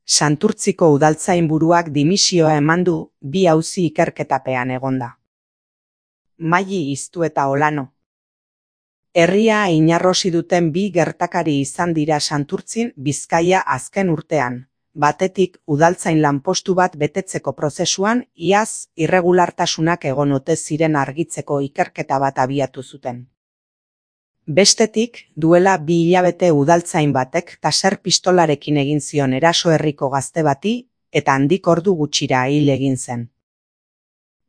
Santurtziko udaltzainburuak dimisioa eman du, 2 auzi ikerketapean egonda. Maili Iztu eta Olano. Herria inarrosi duten 2 gertakari izan dira Santurtzin, Bizkaia azken urtean. Batetik, udaltzain lanpostu bat betetzeko prozesuan, iaz irregulartasunak egon ote ziren argitzeko ikerketa bat abiatu zuten. Bestetik, duela 2 hilabete udaltzain batek taser pistolarekin egin zion eraso herriko gazte bati, eta handik ordu gutxira hil egin zen.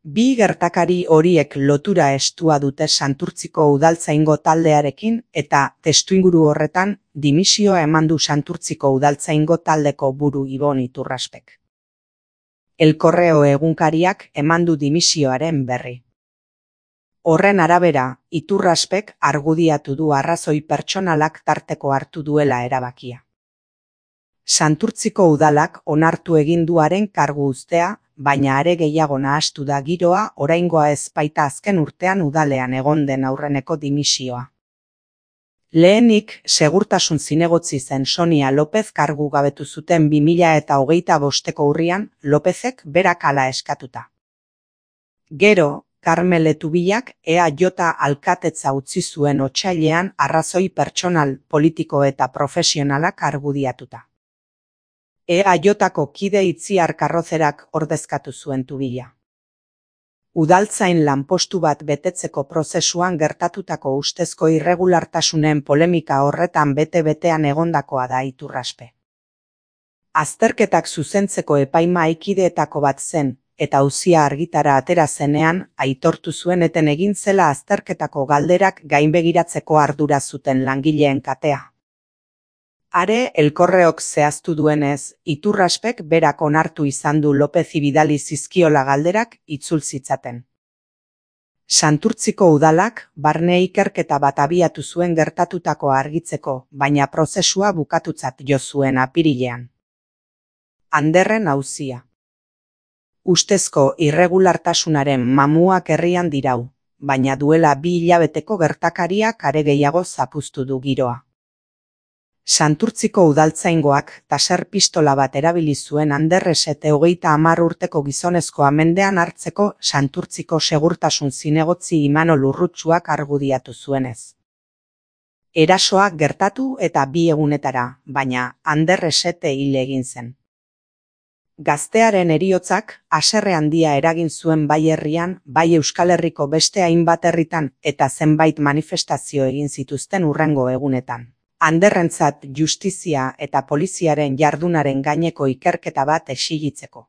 2 gertakari horiek lotura estua dute Santurtziko udaltzaingo taldearekin eta testuinguru horretan dimisioa eman du Santurtziko udaltzaingo taldeko buru Ibon Iturraspek. El Correo egunkariak eman du dimisioaren berri. Horren arabera, Iturraspek argudiatu du arrazoi pertsonalak tarteko hartu duela erabakia. Santurtziko udalak onartu egin duaren kargu uztea, baina are gehiago nahastu da giroa oraingoa ez baita azken urtean udalean egon den aurreneko dimisioa. Lehenik, segurtasun zinegotzi zen Sonia López kargu gabetu zuten 2025ko urrian, Lópezek berak hala eskatuta. Gero, Karmel Etubilak EAJ alkatetza utzi zuen otsailean arrazoi pertsonal, politiko eta profesionalak argudiatuta. EAJko kide Itziar Karrozerak ordezkatu zuen Tubila. Udaltzain lanpostu bat betetzeko prozesuan gertatutako ustezko irregulartasunen polemika horretan bete-betean egondakoa da Iturraspe. Azterketak zuzentzeko epaimahaikideetako bat zen, eta auzia argitara atera zenean, aitortu zuen eten egin zela azterketako galderak gainbegiratzeko ardura zuten langileen katea. Are, El Correok zehaztu duenez, Iturraspek berak onartu izan du Lópezi bidali zizkiola galderak itzul zitzaten. Santurtziko udalak barne ikerketa bat abiatu zuen gertatutakoa argitzeko, baina prozesua bukatutzat jo zuen apirilean. Anderren auzia. Ustezko irregulartasunaren mamuak herrian dirau, baina duela 2 hilabeteko gertakariak are gehiago zapuztu du giroa. Santurtziko udaltzaingoak taser pistola bat erabili zuen Anderresete 30 urteko gizonezkoa mendean hartzeko Santurtziko segurtasun zinegotzi Imanol Urrutsuak argudiatu zuenez. Erasoak gertatu eta 2 egunetara, baina Anderresete hil egin zen. Gaztearen heriotzak haserre handia eragin zuen bai herrian, bai Euskal Herriko beste hainbat herritan eta zenbait manifestazio egin zituzten hurrengo egunetan. Anderrentzat justizia eta poliziaren jardunaren gaineko ikerketa bat exigitzeko.